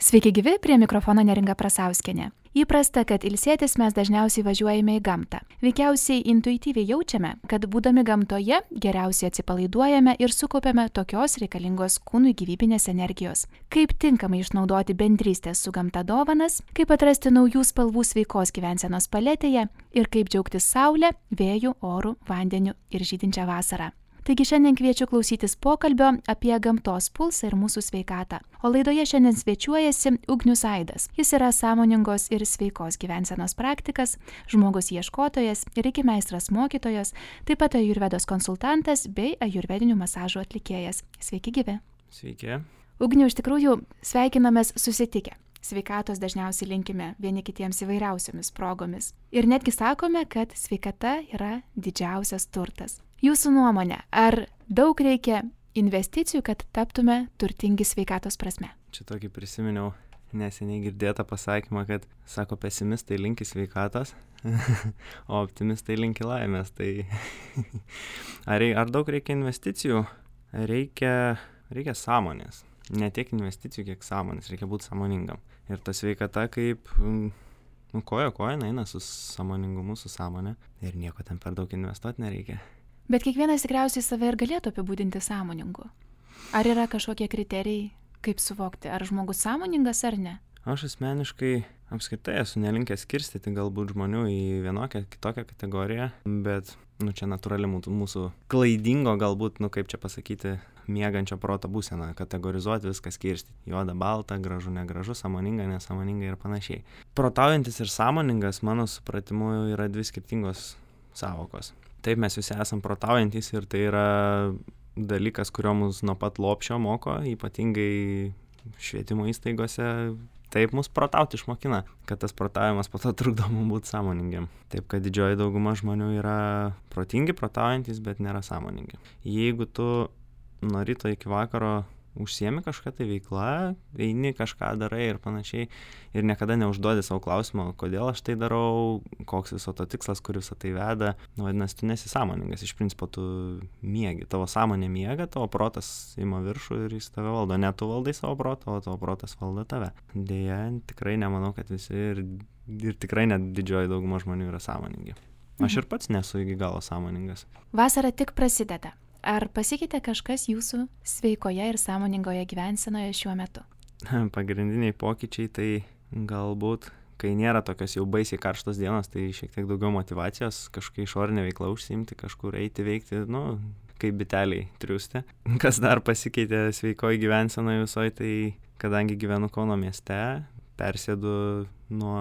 Sveiki gyvi, prie mikrofono Neringa Prasauskienė. Įprasta, kad ilsėtis mes dažniausiai važiuojame į gamtą. Veikiausiai intuityviai jaučiame, kad būdami gamtoje geriausiai atsipalaiduojame ir sukaupiame tokios reikalingos kūnui gyvybinės energijos. Kaip tinkamai išnaudoti bendrystės su gamta dovanas, kaip atrasti naujų spalvų sveikos gyvensenos paletėje ir kaip džiaugtis saulė, vėju, oru, vandeniu ir žydinčią vasarą. Taigi šiandien kviečiu klausytis pokalbio apie gamtos pulsą ir mūsų sveikatą. O laidoje šiandien svečiuojasi Ugnius Aidas. Jis yra sąmoningos ir sveikos gyvensenos praktikas, žmogus ieškotojas, reiki meistras mokytojas, taip pat ajurvedos konsultantas bei ajurvedinių masažų atlikėjas. Sveiki gyvi. Sveiki. Ugniu, iš tikrųjų sveikinamės susitikę. Sveikatos dažniausiai linkime vieni kitiems įvairiausiomis progomis. Ir netgi sakome, kad sveikata yra didžiausias turtas. Jūsų nuomonė, ar daug reikia investicijų, kad taptume turtingi sveikatos prasme? Čia tokį prisiminiau neseniai girdėtą pasakymą, kad sako pesimistai linki sveikatos, o optimistai linki laimės. Tai ar daug reikia investicijų? Reikia sąmonės. Ne tiek investicijų, kiek sąmonės. Reikia būti sąmoningam. Ir ta sveikata kaip koja eina su sąmoningumu, su sąmonė. Ir nieko ten per daug investuoti nereikia. Bet kiekvienas tikriausiai save ir galėtų apibūdinti sąmoningu. Ar yra kažkokie kriterijai, kaip suvokti, ar žmogus sąmoningas ar ne? Aš asmeniškai apskritai esu nelinkęs skirstyti galbūt žmonių į vienokią, kitokią kategoriją, bet čia natūrali mūsų klaidingo galbūt, kaip čia pasakyti, miegančio proto būseną, kategorizuoti viską skirstyti. Juoda, balta, gražu, negražu, sąmoninga, nesąmoninga ir panašiai. Protaujantis ir sąmoningas, mano supratimu, yra dvi skirtingos sąvokos. Taip, mes visi esam protaujantis ir tai yra dalykas, kurio mus nuo pat lopšio moko, ypatingai švietimo įstaigose. Taip mus protauti išmokina, kad tas protavimas po to trukdo mums būti sąmoningiam. Taip, kad didžioji dauguma žmonių yra protingi, protaujantis, bet nėra sąmoningi. Jeigu tu nuo ryto iki vakaro užsiemi kažką tai veiklą, eini kažką darai ir panašiai ir niekada neužduodi savo klausimo, kodėl aš tai darau, koks viso to tikslas, kur visą tai veda, vadinasi, tu nesi sąmoningas, iš principo tu miegi, tavo sąmonė miega, tavo protas ima viršų ir jis tave valdo, ne tu valdai savo protą, o tavo protas valdo tave. Deja, tikrai nemanau, kad visi ir tikrai net didžioji dauguma žmonių yra sąmoningi. Aš ir pats nesu iki galo sąmoningas. Vasara tik prasideda. Ar pasikeitė kažkas jūsų sveikoje ir sąmoningoje gyvensenoje šiuo metu? Pagrindiniai pokyčiai tai galbūt, kai nėra tokios jau baisiai karštos dienos, tai šiek tiek daugiau motyvacijos, kažkokia išorinė veikla užsiimti, kažkur eiti, veikti, kaip biteliai triūsti. Kas dar pasikeitė sveikoje gyvensenoje visoje, tai kadangi gyvenu Kauno mieste, persėdu nuo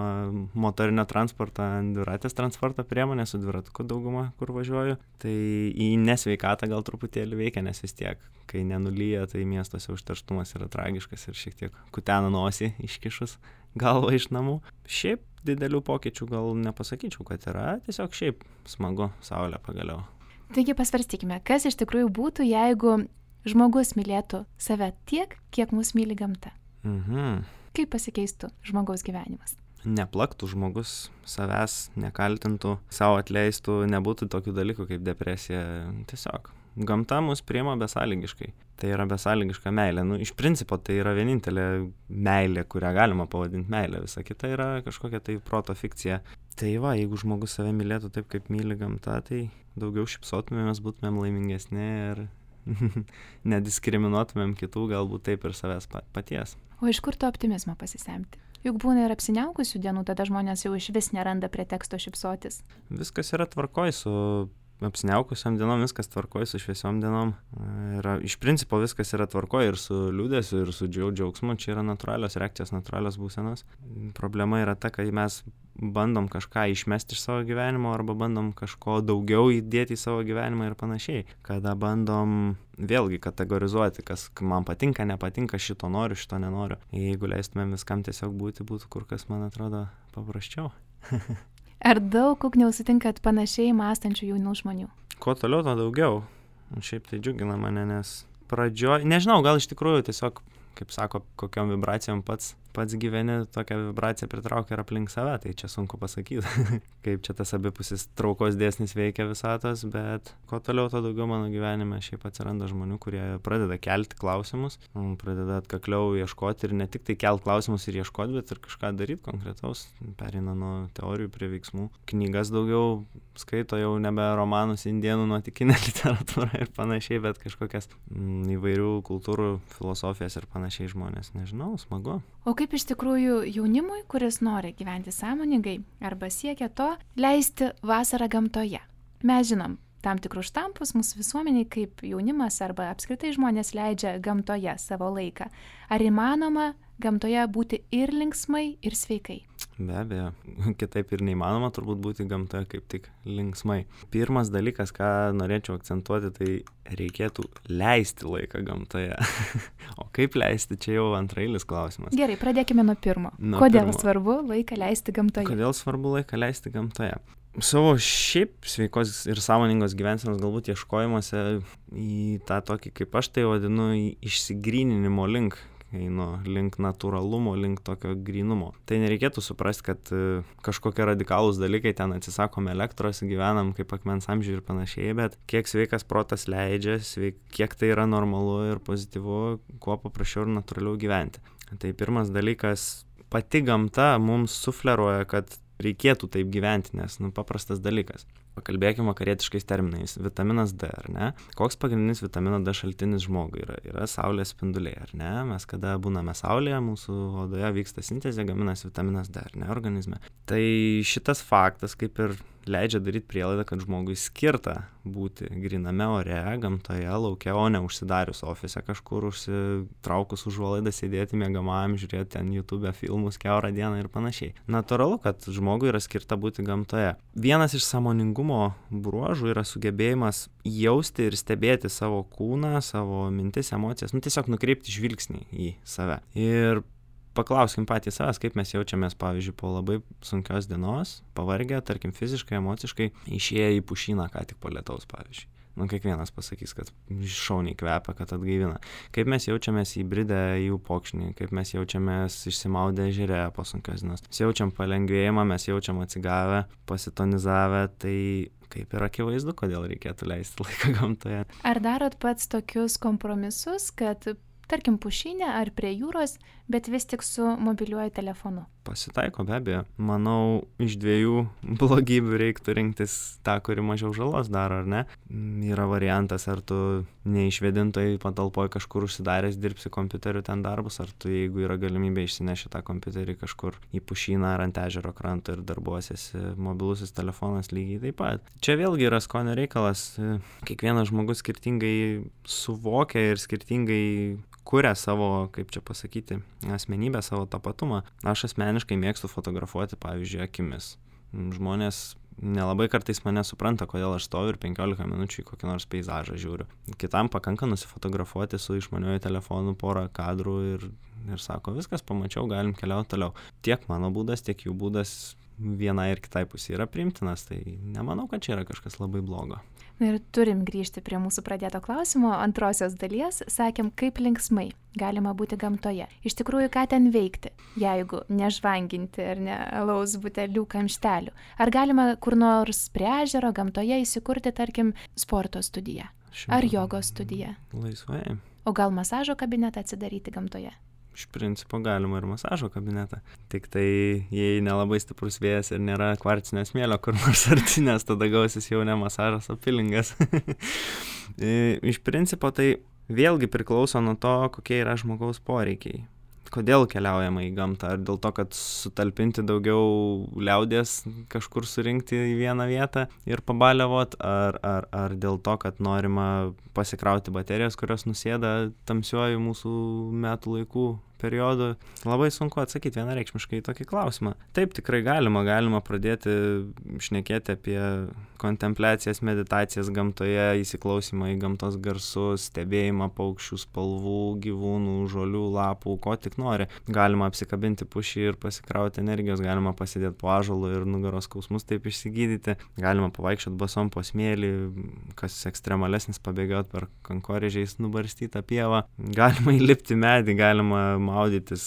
motorinio transporto ant dviratės transporto priemonės, su dviratuku dauguma, kur važiuoju. Tai į nesveikatą gal truputėlį veikia, nes vis tiek, kai nenulyja, tai miestuose užterštumas yra tragiškas ir šiek tiek kutena nosį iškišus galvą iš namų. Šiaip didelių pokyčių gal nepasakyčiau, kad yra, tiesiog šiaip smagu, saulė pagaliau. Taigi pasvarstykime, kas iš tikrųjų būtų, jeigu žmogus mylėtų save tiek, kiek mus myli gamta. Kaip pasikeistų žmogaus gyvenimas? Neplaktų žmogus savęs, nekaltintų, savo atleistų, nebūtų tokių dalykų kaip depresija. Tiesiog gamta mus priima besąlygiškai. Tai yra besąlygiška meilė. Iš principo tai yra vienintelė meilė, kurią galima pavadinti meilė. Visa kita yra kažkokia tai proto fikcija. Tai jeigu žmogus save mylėtų taip, kaip myli gamta, tai daugiau šypsotumėmės, būtumėm laimingesni ir nediskriminuotumėm kitų, galbūt taip ir savęs paties. O iš kur to optimizmo pasisemti? Juk būna ir apsiniaukusių dienų, tada žmonės jau iš vis neranda preteksto šypsotis. Viskas yra tvarkoj su apsiniaukusiam dienom, viskas tvarkoj su šviesiom dienom. Iš principo viskas yra tvarkoj ir su liūdesiu, ir su džiaugsmu. Čia yra natūralios reakcijos, natūralios būsenos. Problema yra ta, kai mes bandom kažką išmesti iš savo gyvenimo arba bandom kažko daugiau įdėti į savo gyvenimą ir panašiai. Kada bandom vėlgi kategorizuoti, kas man patinka, nepatinka, šito noriu, šito nenoriu. Jeigu leistumėm viskam tiesiog būti, būtų kur kas, man atrodo, paprasčiau. Ar daug Ugniau sutinkat panašiai mąstančių jaunų žmonių? Kuo toliau, to daugiau. Šiaip tai džiugina mane, nes nežinau, gal iš tikrųjų tiesiog, kaip sako, kokiom vibracijom pats pats gyveni, tokią vibraciją pritraukia ir aplink save, tai čia sunku pasakyti, kaip čia tas abipusis traukos dėsnis veikia visatos, bet kuo toliau, to daugiau mano gyvenime šiaip atsiranda žmonių, kurie pradeda kelti klausimus, pradeda atkakliau ieškoti ir ne tik tai kelti klausimus ir ieškoti, bet ir kažką daryti konkretaus, pereina nuo teorijų prie veiksmų. Knygas daugiau skaito, jau nebe romanus, indėnų nuotykinę literatūrą ir panašiai, bet kažkokias įvairių kultūrų, filosofijas ir panašiai žmonės. Nežinau, smagu. O kaip iš tikrųjų jaunimui, kuris nori gyventi sąmoningai arba siekia to, leisti vasarą gamtoje? Mes žinom tam tikrus štampus mūsų visuomeniai, kaip jaunimas arba apskritai žmonės leidžia gamtoje savo laiką. Ar įmanoma gamtoje būti ir linksmai, ir sveikai? Be abejo, kitaip ir neįmanoma turbūt būti gamtoje kaip tik linksmai. Pirmas dalykas, ką norėčiau akcentuoti, tai reikėtų leisti laiką gamtoje. O kaip leisti, čia jau antrailis klausimas. Gerai, pradėkime nuo pirmo. Kodėl svarbu laiką leisti gamtoje? Kodėl svarbu laiką leisti gamtoje? Savo šiaip sveikos ir sąmoningos gyvensenos galbūt ieškojimuose į tą tokį, kaip aš tai vadinu, išsigryninimo link, einu link natūralumo, link tokio grynumo. Tai nereikėtų suprasti, kad kažkokie radikalūs dalykai, ten atsisakom elektros, gyvenam kaip akmens amžiuje ir panašiai, bet kiek sveikas protas leidžia, kiek tai yra normalu ir pozityvu, kuo paprasčiau ir natūraliau gyventi. Tai pirmas dalykas, pati gamta mums sufleruoja, kad reikėtų taip gyventi, nes paprastas dalykas. Pakalbėkime vakarietiškais terminais. Vitaminas D, ar ne? Koks pagrindinis vitamino D šaltinis žmogui yra? Yra saulės spinduliai, ar ne? Mes kada būname saulėje, mūsų odoje vyksta sintezė, gaminasi vitaminas D, ar ne, organizme. Tai šitas faktas kaip ir leidžia daryti prielaidą, kad žmogui skirta būti gryname ore, gamtoje, lauke, o ne užsidarius ofise kažkur, užsitraukus užuolaidą, sėdėti miegamajam, žiūrėti ten YouTube filmus kiaurą dieną ir panašiai. Natūralu, kad žmogui yra skirta būti gamtoje. Vienas iš sąmoningumo bruožų yra sugebėjimas jausti ir stebėti savo kūną, savo mintis, emocijas, tiesiog nukreipti žvilgsnį į save. Ir paklauskim patys savęs, kaip mes jaučiamės, pavyzdžiui, po labai sunkios dienos, pavargę, tarkim, fiziškai, emociškai, išėję į pušyną, ką tik po lietaus, pavyzdžiui. Kiekvienas pasakys, kad šauniai kvepia, kad atgaivina. Kaip mes jaučiamės įbridę į upokšnį, kaip mes jaučiamės išsimaudę ežere po sunkios dienos. Mes jaučiam palengvėjimą, mes jaučiam atsigavę, pasitonizavę, tai kaip ir akivaizdu, kodėl reikėtų leisti laiką gamtoje. Ar darot pats tokius kompromisus, kad tarkim pušynė ar prie jūros, bet vis tik su mobiliuoju telefonu? Pasitaiko, be abejo. Manau, iš dviejų blogybių reiktų rinktis tą, kuri mažiau žalos daro, ar ne? Yra variantas, ar tu neišvėdintoj patalpoj kažkur užsidaręs dirbsi kompiuteriu ten darbus, ar tu, jeigu yra galimybė, išsineši tą kompiuterį kažkur į pušyną ar ant ežero kranto ir darbuosiesi, mobilusis telefonas lygiai taip pat. Čia vėlgi yra skonio reikalas. Kiekvienas žmogus skirtingai suvokia ir skirtingai kuria savo, kaip čia pasakyti, asmenybę, savo tapatumą. Aš asmeniškai mėgstu fotografuoti, pavyzdžiui, akimis. Žmonės nelabai kartais mane supranta, kodėl aš stoviu ir 15 minučių į kokį nors peizažą žiūriu. Kitam pakanka nusifotografuoti su išmaniuoju telefonu porą kadrų ir sako, viskas, pamačiau, galim keliauti toliau. Tiek mano būdas, tiek jų būdas vienai ir kitai pusė yra priimtinas, tai nemanau, kad čia yra kažkas labai blogo. Ir turim grįžti prie mūsų pradėto klausimo antrosios dalies. Sakėm, kaip linksmai galima būti gamtoje. Iš tikrųjų, ką ten veikti, jeigu nežvanginti ar ne alaus butelių kamštelių. Ar galima kur nors prie ežero gamtoje įsikurti, tarkim, sporto studiją? Ar jogos studiją? Laisvai. O gal masažo kabinetą atsidaryti gamtoje? Iš principo galima ir masažo kabinetą. Tik tai, jei nelabai stiprus vėjas ir nėra kvarcinio smėlio kur nors arti, nes tada gausis jau ne masažas, o pilingas. Iš principo tai vėlgi priklauso nuo to, kokie yra žmogaus poreikiai. Kodėl keliaujama į gamtą? Ar dėl to, kad sutalpinti daugiau liaudies kažkur surinkti į vieną vietą ir pabaliavot, ar dėl to, kad norima pasikrauti baterijas, kurios nusėda tamsiuoju mūsų metų laikų periodu? Labai sunku atsakyti vienareikšmiškai į tokį klausimą. Taip, tikrai galima pradėti šnekėti apie kontempliacijas, meditacijas gamtoje, įsiklausimą į gamtos garsus, stebėjimą paukščių spalvų, gyvūnų, žolių, lapų, ko tik nori. Galima apsikabinti pušį ir pasikrauti energijos, galima pasidėti po ąžuolu ir nugaros skausmus taip išsigydyti, galima pavaikščioti basom po smėlį, kas ekstremalesnis pabėgioti per kankorėžiais nubarstytą pievą, galima įlipti medį, galima maudytis,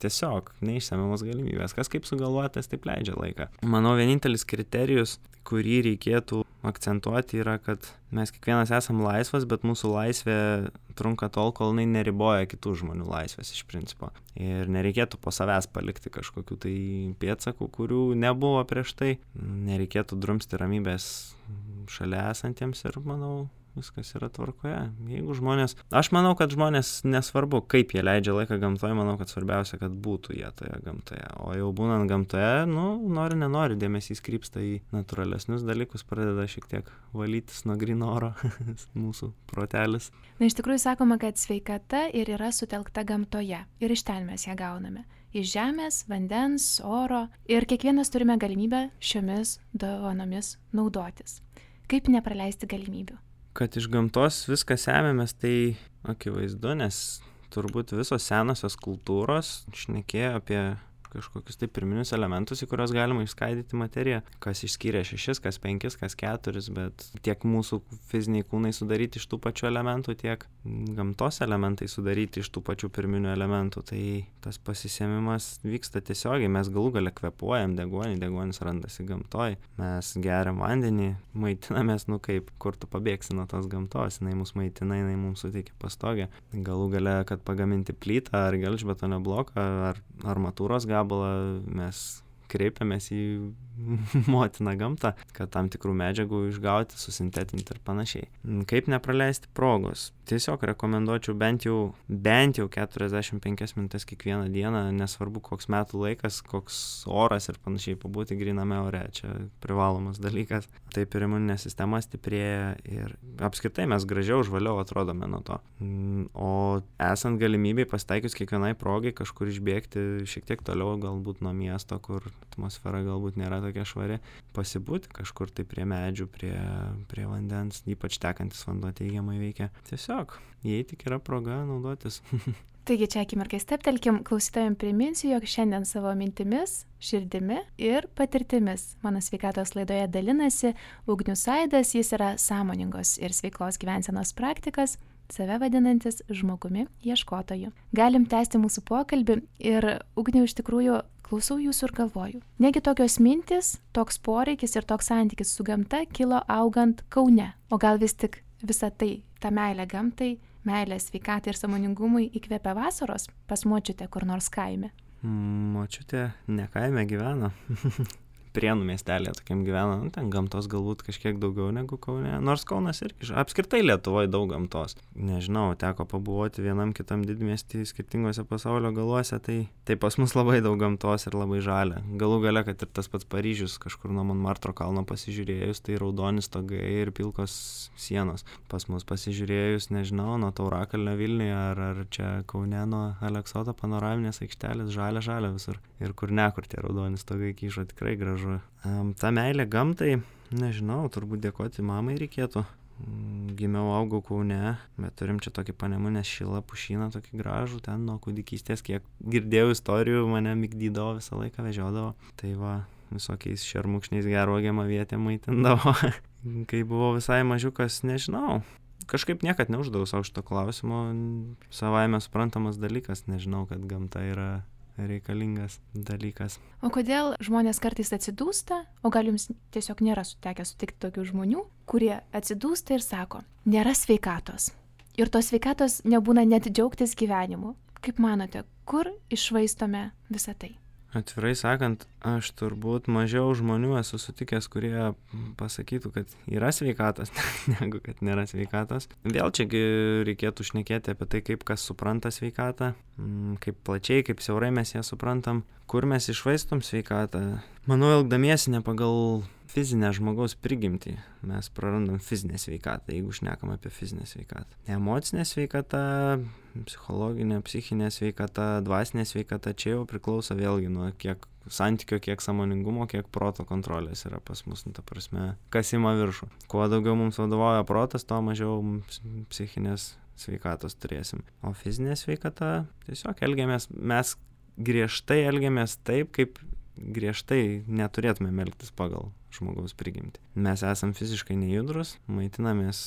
tiesiog neišsemiamos galimybės. Kas kaip sugalvotas, taip leidžia laiką. Manau, vienintelis kriterijus, kurį reikėtų akcentuoti, yra, kad mes kiekvienas esam laisvas, bet mūsų laisvė trunka tol, kol jinai neriboja kitų žmonių laisvės iš principo. Ir nereikėtų po savęs palikti kažkokių tai pėdsakų, kurių nebuvo prieš tai. Nereikėtų drumsti ramybės šalia esantiems ir, manau, viskas yra tvarkoje. Jeigu žmonės, aš manau, kad žmonės nesvarbu, kaip jie leidžia laiką gamtoje, manau, kad svarbiausia, kad būtų jie toje gamtoje. O jau būnant gamtoje, nori, nenori, dėmesys krypsta į natūralesnius dalykus, pradeda šiek tiek valytis nuo gryno oro mūsų protelis. Na, iš tikrųjų sakoma, kad sveikata ir yra sutelkta gamtoje. Ir iš ten mes ją gauname. Iš žemės, vandens, oro. Ir kiekvienas turime galimybę šiomis dovanomis naudotis. Kaip nepraleisti galimybių? Kad iš gamtos viską semėmės, tai akivaizdu, nes turbūt visos senosios kultūros šnekėjo apie kažkokius tai pirminius elementus, į kuriuos galima išskaidyti materiją. Kas išskyrė 6, kas 5, kas 4, bet tiek mūsų fiziniai kūnai sudaryti iš tų pačių elementų, tiek gamtos elementai sudaryti iš tų pačių pirminių elementų. Tai tas pasisėmimas vyksta tiesiogiai. Mes galų gale kvėpuojam deguonį, deguonis randasi gamtoj. Mes geriam vandenį, maitinamės, kaip, kur tu pabėgsi nuo tos gamtos. Jinai mus maitina, jinai mums suteikia pastogę. Galų gale, kad pagaminti plytą ar gelžbetonio bloką ar armatūros gabalą, mes kreipiamės į motiną gamtą, kad tam tikrų medžiagų išgauti, susintetinti ir panašiai. Kaip nepraleisti progos? Tiesiog rekomenduočiau bent jau 45 minutes kiekvieną dieną, nesvarbu koks metų laikas, koks oras ir panašiai, pabūti gryname ore, čia privalomas dalykas. Taip ir imuninė sistema stiprėja ir apskritai mes gražiau, žvaliau atrodome nuo to. O esant galimybei pasitaikius kiekvienai progai kažkur išbėgti šiek tiek toliau, galbūt nuo miesto, kur atmosfera galbūt nėra tokia švari, pasibūti kažkur tai prie medžių, prie vandens, ypač tekantis vanduo teigiamai veikia. Tiesiog, jei tik yra proga, naudotis. Taigi čia akimirkai steptelkim, klausytojams priminsiu, jog šiandien savo mintimis, širdimi ir patirtimis mano sveikatos laidoje dalinasi Ugnius Aidas, jis yra sąmoningos ir sveiklos gyvensenos praktikas, save vadinantis žmogumi ieškotoju. Galim tęsti mūsų pokalbį ir Ugniau, iš tikrųjų klausau jūsų ir galvoju. Negi tokios mintis, toks poreikis ir toks santykis su gamta kilo augant Kaune, o gal vis tik visa tai, ta meilė gamtai, meilė sveikatai ir sąmoningumui įkvėpia vasaros pas močiutę kur nors kaime? Močiutė ne kaime gyvena. Prienų miestelėje tokiam gyvena, ten gamtos galbūt kažkiek daugiau negu Kaune, nors Kaunas irgi, apskritai Lietuvoje daug gamtos. Nežinau, teko pabuvoti vienam kitam didmiestį skirtingose pasaulio galuose, tai pas mus labai daug gamtos ir labai žalia. Galų gale, kad ir tas pats Paryžius, kažkur nuo Montmartro kalno pasižiūrėjus, tai raudoni stogai ir pilkos sienos. Pas mus pasižiūrėjus, nežinau, nuo Taurakalnio Vilniuje ar čia Kaune nuo Aleksoto panoraminės aikštelės, žalia visur. Ir kur tie raudoni stogai kyšo, tikrai gražu. Ta meilė gamtai, nežinau, turbūt dėkoti mamai reikėtų. Gimiau, augau Kaune, bet turim čia tokį Panemunės šilą pušyną, tokį gražų, ten nuo kūdikystės, kiek girdėjau istorijų, mane migdydavo, visą laiką vežiodavo. Tai va, visokiais šermukšniais gervuogėm avietėm maitindavo. Kai buvau visai mažiukas, nežinau. Kažkaip niekad neuždavau savo šito klausimo, savaime suprantamas dalykas, nežinau, kad gamta yra reikalingas dalykas. O kodėl žmonės kartais atsidūsta, o gal jums tiesiog nėra sutekę sutikti tokių žmonių, kurie atsidūsta ir sako, nėra sveikatos. Ir tos sveikatos nebūna net džiaugtis gyvenimu. Kaip manote, kur iššvaistome visą tai? Atvirai sakant, aš turbūt mažiau žmonių esu sutikęs, kurie pasakytų, kad yra sveikatos, negu kad nėra sveikatos. Vėl čiagi reikėtų šnekėti apie tai, kaip kas supranta sveikatą, kaip plačiai, kaip siaurai mes ją suprantam, kur mes iššvaistom sveikatą. Manau, elgdamiesi ne pagal fizinę žmogaus prigimtį, mes prarandam fizinę sveikatą, jeigu šnekam apie fizinę sveikatą. Emocinė sveikata, psichologinė, psichinė sveikata, dvasinė sveikata, čia jau priklauso vėlgi nuo kiek santykio, kiek sąmoningumo, kiek proto kontrolės yra pas mus, ta prasme, kas ima viršų. Kuo daugiau mums vadovauja protas, tuo mažiau psichinės sveikatos turėsim. O fizinė sveikata, tiesiog mes griežtai elgiamės taip, kaip griežtai neturėtume elgtis pagal žmogaus prigimtį. Mes esam fiziškai nejudrus, maitinamės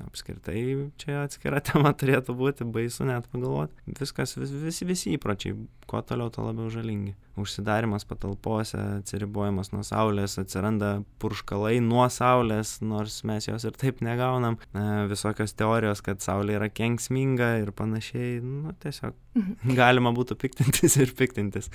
apskritai, čia atskira tema turėtų būti, baisu net pagalvoti. Viskas, visi įpročiai, kuo toliau, to labiau žalingi. Užsidarimas patalpose, atsiribojimas nuo saulės, atsiranda purškalai nuo saulės, nors mes jos ir taip negaunam. Visokios teorijos, kad saulė yra kenksminga ir panašiai, tiesiog galima būtų piktintis ir piktintis.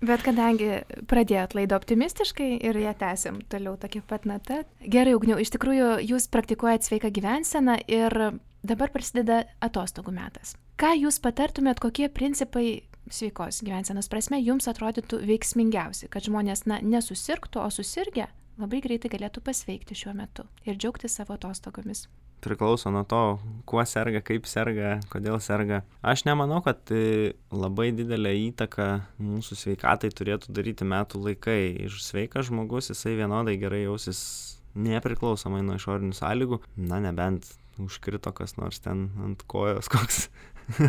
Bet kadangi pradėjot laidą optimistiškai ir ją tęsim toliau tokia pat nata. Gerai, Ugniau, iš tikrųjų jūs praktikuojat sveiką gyvenseną ir dabar prasideda atostogų metas. Ką jūs patartumėt, kokie principai sveikos gyvensenos prasme jums atrodytų veiksmingiausi, kad žmonės nesusirgtų, o susirgę labai greitai galėtų pasveikti šiuo metu ir džiaugtis savo atostogomis? Priklauso nuo to, kuo serga, kaip serga, kodėl serga. Aš nemanau, kad labai didelę įtaką mūsų sveikatai turėtų daryti metų laikai. Ir sveikas žmogus, jisai vienodai gerai jausis nepriklausomai nuo išorinių sąlygų. Nebent užkrito kas nors ten ant kojos, koks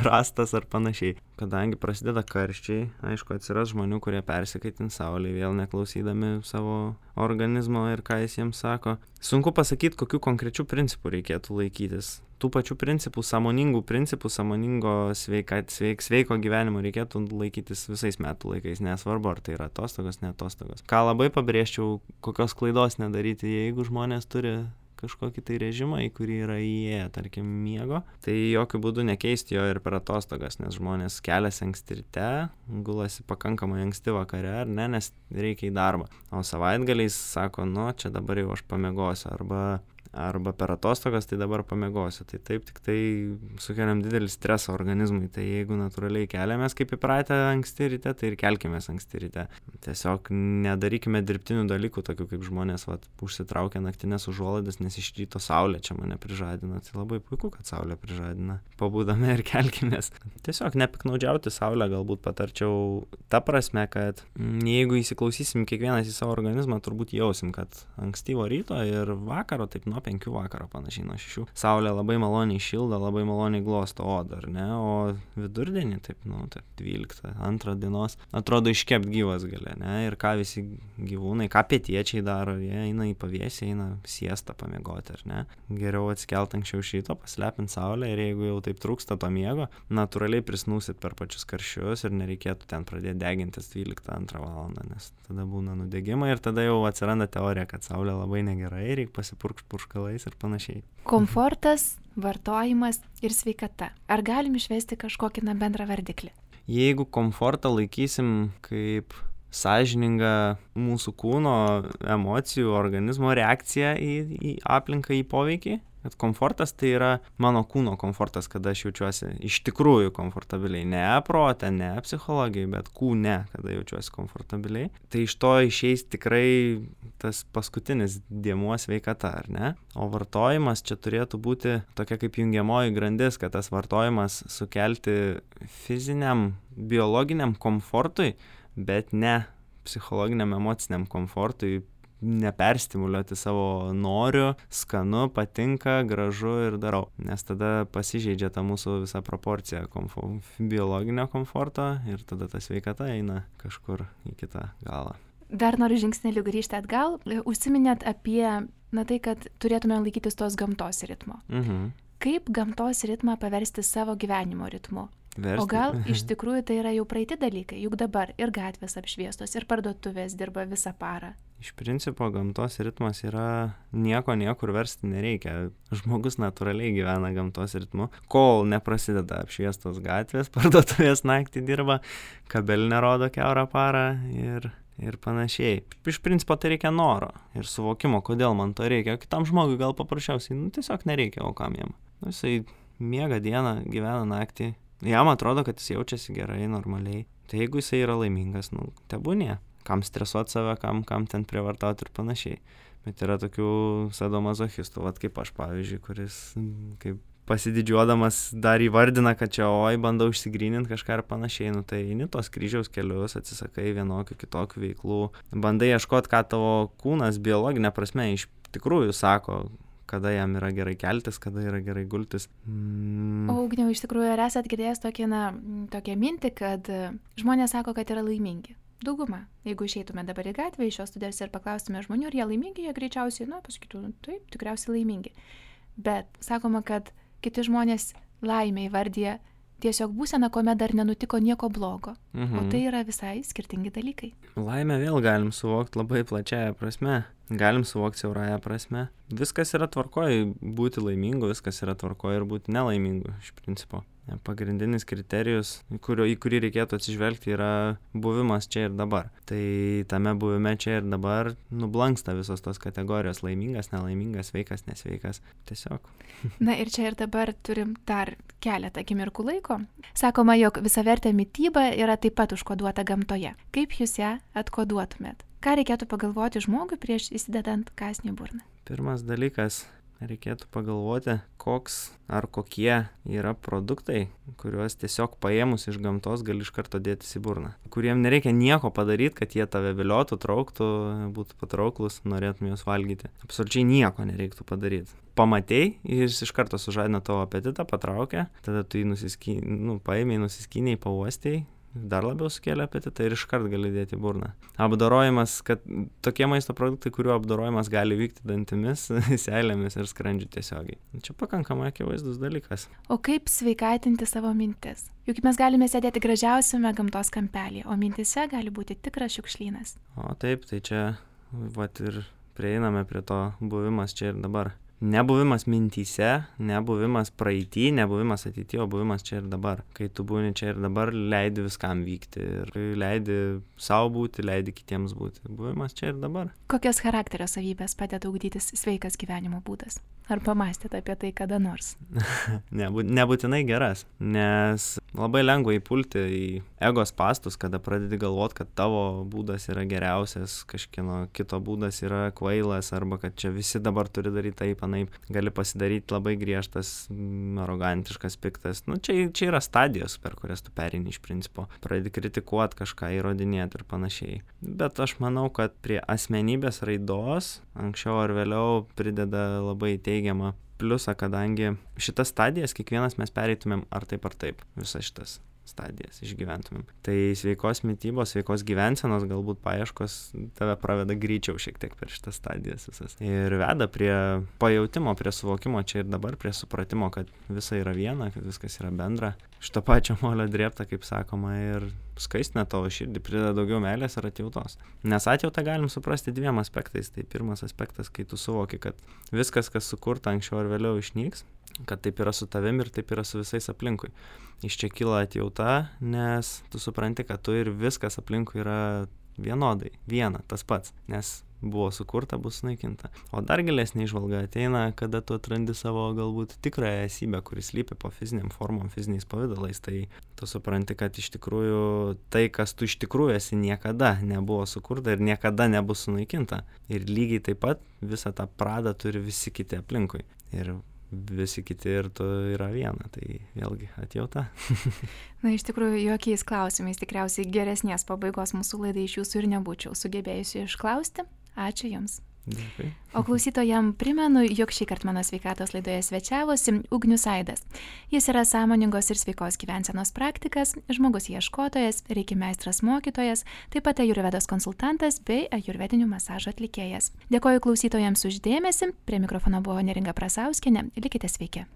rastas ar panašiai. Kadangi prasideda karščiai, aišku, atsiras žmonių, kurie persikaitins saulėje, vėl neklausydami savo organizmo ir ką jis jiems sako. Sunku pasakyti, kokių konkrečių principų reikėtų laikytis. Tų pačių principų, sąmoningų principų, sąmoningo sveiko gyvenimo reikėtų laikytis visais metų laikais, nesvarbu, ar tai yra atostogos, ne atostogos. Ką labai pabrėžčiau, kokios klaidos nedaryti, jeigu žmonės turi kažkokį tai režimą, į kurį yra įėję, tarkim, miego, tai jokių būdų nekeisti jo ir per atostogas, nes žmonės keliasi anksti ryte, gulasi pakankamai anksti vakare, ar ne, nes reikia į darbą. O savaitgaliais sako, čia dabar jau aš pamiegosiu, arba per atostogas, tai dabar pamiegosiu. Tai taip, tik tai sukeliam didelį stresą organizmui. Tai jeigu natūraliai keliamės kaip įpratę anksti ryte, tai ir kelkimės anksti ryte. Tiesiog nedarykime dirbtinių dalykų, tokių kaip žmonės užsitraukia naktinės užuolaidas, nes iš ryto saulė čia mane prižadina. Tai labai puiku, kad saulė prižadina. Pabūdame ir kelkimės. Tiesiog nepiknaudžiauti saulę galbūt patarčiau ta prasme, kad jeigu įsiklausysim kiekvienas į savo organizmą, turbūt jausim, kad ankstyvo ryto ir vakaro, taip nuo 5 vakaro panašiai, nuo 6. Saulė labai maloniai šildo, labai maloniai glosto odą, ar ne? O vidurdienį, taip 12, 2 dienos, atrodo iškept gyvas gali, ne? Ir ką visi gyvūnai, ką pietiečiai daro, jie eina į pavėsį, eina siestą pamiegoti, ar ne? Geriau atsikelt anksčiau šito, paslepint saulę ir jeigu jau taip trūksta to miego, natūraliai prisnūsit per pačius karščius ir nereikėtų ten pradėti degintis 12-2 valandą, nes tada būna nudegimai ir tada jau atsiranda teorija, kad saulė labai negerai, reikia pasipurkšti purškalais ir panašiai. Komfortas, vartojimas ir sveikata. Ar galim išvesti kažkokį bendrą vardiklį? Jeigu komfortą laikysim kaip sąžiningą mūsų kūno, emocijų, organizmo reakciją į aplinką, į poveikį, kad komfortas tai yra mano kūno komfortas, kada aš jaučiuosi iš tikrųjų komfortabiliai, ne prote, ne psichologijai, bet kūne, kada jaučiuosi komfortabiliai, tai iš to išeis tikrai tas paskutinis dėmuo sveikata, ar ne? O vartojimas čia turėtų būti tokia kaip jungiamoji grandis, kad tas vartojimas sukelti fiziniam, biologiniam komfortui, bet ne psichologiniam, emociniam komfortui, neperstimuliuoti savo noriu, skanu, patinka, gražu ir darau. Nes tada pasižeidžia ta mūsų visa proporcija biologinio komforto ir tada ta sveikata eina kažkur į kitą galą. Dar noriu žingsnelį grįžti atgal. Užsiminėt apie tai, kad turėtume laikytis tos gamtos ritmo. Kaip gamtos ritmą paversti savo gyvenimo ritmu? O gal iš tikrųjų tai yra jau praeiti dalykai, juk dabar ir gatvės apšviestos, ir parduotuvės dirba visą parą. Iš principo gamtos ritmas yra niekur versti nereikia. Žmogus natūraliai gyvena gamtos ritmu, kol neprasideda apšviestos gatvės, parduotuvės naktį dirba, kabelinė rodo kiaurą parą ir panašiai. Iš principo tai reikia noro ir suvokimo, kodėl man to reikia. O kitam žmogui gal paprasčiausiai tiesiog nereikia, o kam jam. Jisai miega dieną, gyvena naktį. Jam atrodo, kad jis jaučiasi gerai, normaliai. Tai jeigu jisai yra laimingas, tebūnie. Kam stresuoti save, kam ten prievartauti ir panašiai. Bet yra tokių sadomazochistų, kaip aš, pavyzdžiui, kuris kaip pasididžiuodamas dar įvardina, kad čia bandau išsigryninti kažką ir panašiai. Tai eini tos kryžiaus kelius, atsisakai vienokių kitokių veiklų. Bandai ieškoti, ką tavo kūnas biologinė prasme iš tikrųjų sako, kada jam yra gerai keltis, kada yra gerai gultis. O Ugniau, iš tikrųjų, ar esat girdėjęs tokią mintį, kad žmonės sako, kad yra laimingi? dauguma. Jeigu išeitume dabar į gatvę iš šios studijos ir paklaustume žmonių, ar jie laimingi, jie greičiausiai, pasakytų, taip, tikriausiai laimingi. Bet sakoma, kad kiti žmonės laimę įvardyja tiesiog būsena, kuomet dar nenutiko nieko blogo. O tai yra visai skirtingi dalykai. Laimę vėl galim suvokti labai plačiaja prasme. Galim suvokti siaurąją prasme. Viskas yra tvarkoj būti laimingu, viskas yra tvarkoj ir būti nelaimingu iš principo. Pagrindinis kriterijus, į kurį reikėtų atsižvelgti, yra buvimas čia ir dabar. Tai tame buvime čia ir dabar nublanksta visos tos kategorijos: laimingas, nelaimingas, sveikas, nesveikas. Tiesiog. Na ir čia ir dabar turim dar keletą akimirkų laiko. Sakoma, jog visavertė mityba yra taip pat užkoduota gamtoje. Kaip jūs ją atkoduotumėt? Ką reikėtų pagalvoti žmogui prieš įsidedant kąsnį į burną? Pirmas dalykas, reikėtų pagalvoti, koks ar kokie yra produktai, kuriuos tiesiog paėmus iš gamtos gali iš karto dėtis į burną. Kuriem nereikia nieko padaryti, kad jie tave viliotų, trauktų, būtų patrauklus, norėtum juos valgyti. Absoliučiai nieko nereiktų padaryti. Pamatei, jis iš karto sužadina tavo apetitą, patraukia, tada tu jį paėmei, nusiskynei, pauostei, dar labiau sukėlė apetitą ir iškart gali dėti į burną. Apdorojimas, kad tokie maisto produktai, kurių apdorojimas gali vykti dantimis, seilėmis ir skrandžiu tiesiogiai. Čia pakankamai akivaizdus dalykas. O kaip sveikatinti savo mintis? Juk mes galime sėdėti gražiausiame gamtos kampelyje, o mintise gali būti tikras šiukšlynas. O taip, tai čia ir prieiname prie to buvimas čia ir dabar. Nebuvimas mintyse, nebuvimas praeity, nebuvimas ateity, o buvimas čia ir dabar. Kai tu būni čia ir dabar, leidi viskam vykti ir leidi savo būti, leidi kitiems būti. Buvimas čia ir dabar. Kokios charakterio savybės padeda ugdytis sveikas gyvenimo būdas? Ar pamastėte apie tai kada nors? Nebūtinai geras, nes labai lengva įpulti į ego spastus, kada pradedi galvoti, kad tavo būdas yra geriausias, kažkieno kito būdas yra kvailas, arba kad čia visi dabar turi daryti taip, anaip. Gali pasidaryti labai griežtas, arogantiškas, piktas. Čia yra stadijos, per kurias tu pereini iš principo. Pradedi kritikuoti kažką, įrodinėti ir panašiai. Bet aš manau, kad prie asmenybės raidos anksčiau ar vėliau prideda labai teigiamą pliusą, kadangi šitas stadijas kiekvienas mes pereitumėm ar taip, visas šitas stadijas išgyventumėm. Tai sveikos mitybos, sveikos gyvensenos galbūt paieškos tave praveda greičiau šiek tiek per šitas stadijas visas. Ir veda prie pajautimo, prie suvokimo čia ir dabar, prie supratimo, kad visa yra viena, kad viskas yra bendra. Šito pačio molio drėbta, kaip sakoma, ir skaistina tavo širdį, prideda daugiau meilės ir atjautos. Nes atjautą galim suprasti dviem aspektais. Tai pirmas aspektas, kai tu suvoki, kad viskas, kas sukurta anksčiau ar vėliau išnyks, kad taip yra su tavim ir taip yra su visais aplinkui. Iš čia kyla atjauta, nes tu supranti, kad tu ir viskas aplinkui yra vienodai, viena, tas pats, nes buvo sukurta, bus sunaikinta. O dar gilesnė įžvalga ateina, kada tu atrandi savo galbūt tikrąją esybę, kuris slypi po fiziniam formom, fiziniais pavidalais. Tai tu supranti, kad iš tikrųjų tai, kas tu iš tikrųjų esi, niekada nebuvo sukurta ir niekada nebus sunaikinta. Ir lygiai taip pat visą tą pradą turi visi kiti aplinkui. Ir visi kiti ir tu yra viena, tai vėlgi atjauta. Na, iš tikrųjų, jokiais klausimais tikriausiai geresnės pabaigos mūsų laidai iš jūsų ir nebūčiau sugebėjusi išklausti. Ačiū Jums. Dėkui. O klausytojam primenu, jog šįkart mano sveikatos laidoje svečiavosi Ugnius Aidas. Jis yra sąmoningos ir sveikos gyvensenos praktikas, žmogus ieškotojas, reiki meistras mokytojas, taip pat ajurvedos konsultantas bei ajurvedinių masažo atlikėjas. Dėkoju klausytojams už dėmesį, prie mikrofono buvo Neringa Prasauskienė, likite sveiki.